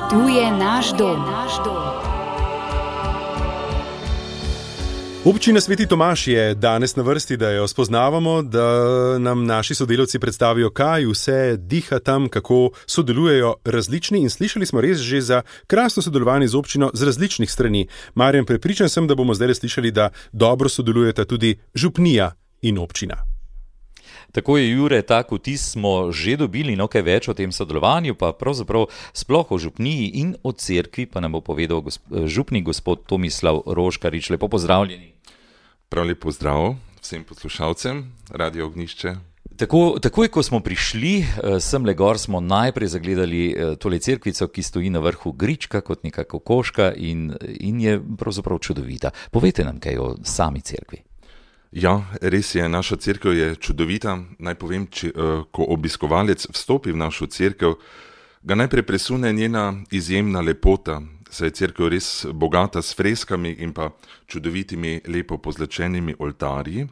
Tu je naš dom. Občina Sveti Tomaž je danes na vrsti, da jo spoznavamo, da nam naši sodelavci predstavijo, kaj vse diha tam, kako sodelujejo različni, in slišali smo res že za krasno sodelovanje z občino z različnih strani. Marjan, prepričan sem, da bomo zdaj slišali, da dobro sodelujeta tudi župnija in občina. Tako je, Jure, tak vtis smo že dobili, no kaj več o tem sodelovanju, pa pravzaprav sploh o župniji in o cerkvi, pa nam bo povedal župnik gospod Tomislav Roškarič. Lepo pozdravljeni. Prav lep pozdrav vsem poslušalcem Radio Ognjišče. Takoj, ko smo prišli semle gor, smo najprej zagledali tole cerkvico, ki stoji na vrhu grička kot neka kokoška in je pravzaprav čudovita. Povejte nam kaj o sami cerkvi. Ja, res je, naša cerkev je čudovita. Naj povem, ko obiskovalec vstopi v našo cerkev, ga najprej presune njena izjemna lepota, saj je cerkev res bogata s freskami in pa čudovitimi, lepo pozlačenimi oltarji.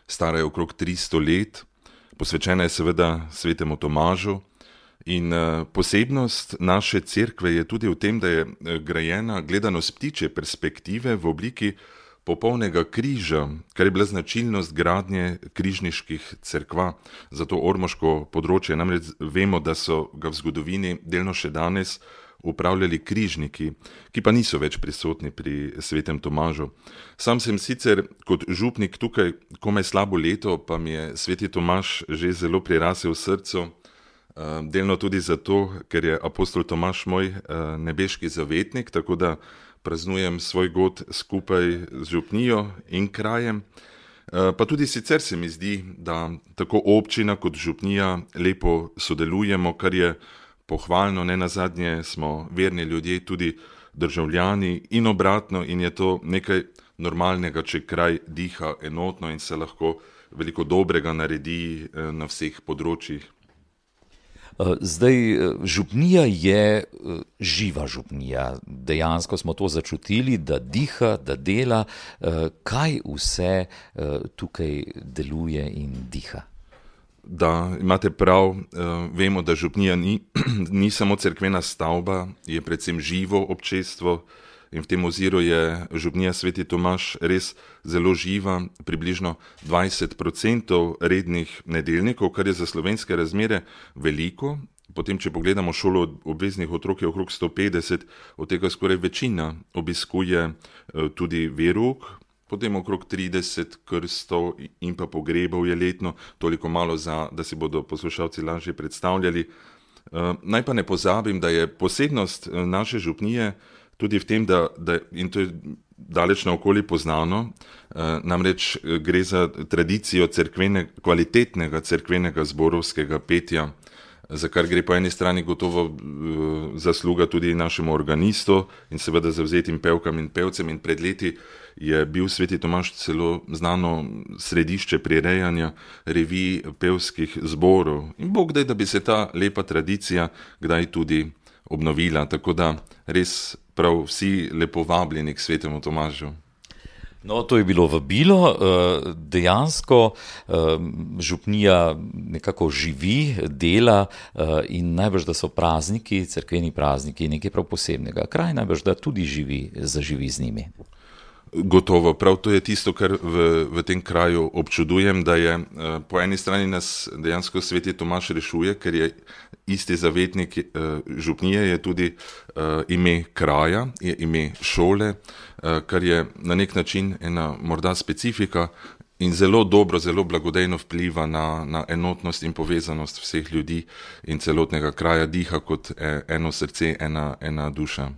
Stara je okrog 300 let, posvečena je seveda Svetemu Tomažu in posebnost naše cerkve je tudi v tem, da je grajena gledano s ptičje perspektive v obliki popolnega križa, kar je bila značilnost gradnje križniških cerkva za to ormoško področje. Namreč vemo, da so ga v zgodovini delno še danes upravljali križniki, ki pa niso več prisotni pri Svetem Tomažu. Sam sem sicer kot župnik tukaj komaj slabo leto, pa mi je Sveti Tomaž že zelo prirasel v srcu, delno tudi zato, ker je apostol Tomaž moj nebeški zavetnik, tako da praznujem svoj god skupaj z župnijo in krajem. Pa tudi sicer se mi zdi, da tako občina kot župnija lepo sodelujemo, kar je pohvalno, nenazadnje smo verni ljudje, tudi državljani in obratno, in je to nekaj normalnega, če kraj diha enotno in se lahko veliko dobrega naredi na vseh področjih. Zdaj, župnija je živa župnija. Dejansko smo to začutili, da diha, da dela. Kaj vse tukaj deluje in diha? Da, imate prav, vemo, da župnija ni samo cerkvena stavba, je predvsem živo občestvo. In v tem oziru je župnija Sveti Tomaž res zelo živa, približno 20% rednih nedeljnikov, kar je za slovenske razmere veliko. Potem, če pogledamo šolo obveznih otrok, je okrog 150, od tega skoraj večina obiskuje tudi verouk, potem okrog 30 krstov in pa pogrebov je letno, toliko malo, da si bodo poslušalci lažje predstavljali. Naj pa ne pozabim, da je posebnost naše župnije tudi v tem, da in to je daleč naokoli poznano, namreč gre za tradicijo kvalitetnega cerkvenega zborovskega petja, za kar gre po eni strani gotovo zasluga tudi našemu organistu in seveda zavzetim pevkam in pevcem, in pred leti je bil Sveti Tomaž celo znano središče prirejanja revij pevskih zborov. In Bog daj, da bi se ta lepa tradicija kdaj tudi obnovila, tako da res prav vsi lepo vabljeni k Svetemu Tomažu. No, to je bilo vabilo. Dejansko župnija nekako živi, dela in najbrž, da so prazniki, cerkveni prazniki, nekaj prav posebnega. Kraj najbrž, da tudi zaživi z njimi. Gotovo, prav to je tisto, kar v tem kraju občudujem, da je po eni strani nas dejansko Sveti Tomaž rešuje, ker je isti zavetnik župnije, je tudi ime kraja, je ime šole, kar je na nek način ena morda specifika in zelo dobro, zelo blagodejno vpliva na enotnost in povezanost vseh ljudi in celotnega kraja, diha kot eno srce, ena duša.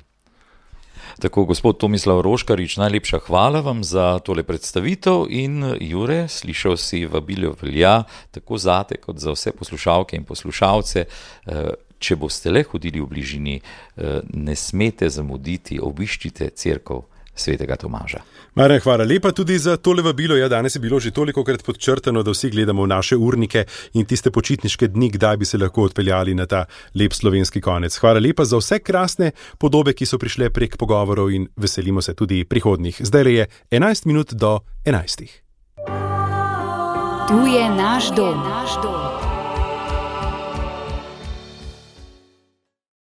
Tako, gospod Tomislav Roškarič, najlepša hvala vam za tole predstavitev in Jure, slišal si, vabilo velja tako zate kot za vse poslušalke in poslušalce. Če boste le hodili v bližini, ne smete zamuditi, obiščite cerkev Svetega Tomaža. Marjan, hvala lepa tudi za tole vabilo. Ja, danes je bilo že tolikokrat podčrtano, da vsi gledamo v naše urnike in tiste počitniške dni, kdaj bi se lahko odpeljali na ta lep slovenski konec. Hvala lepa za vse krasne podobe, ki so prišle prek pogovorov, in veselimo se tudi prihodnjih. Zdaj je 11 minut do 11. Tu je naš dom.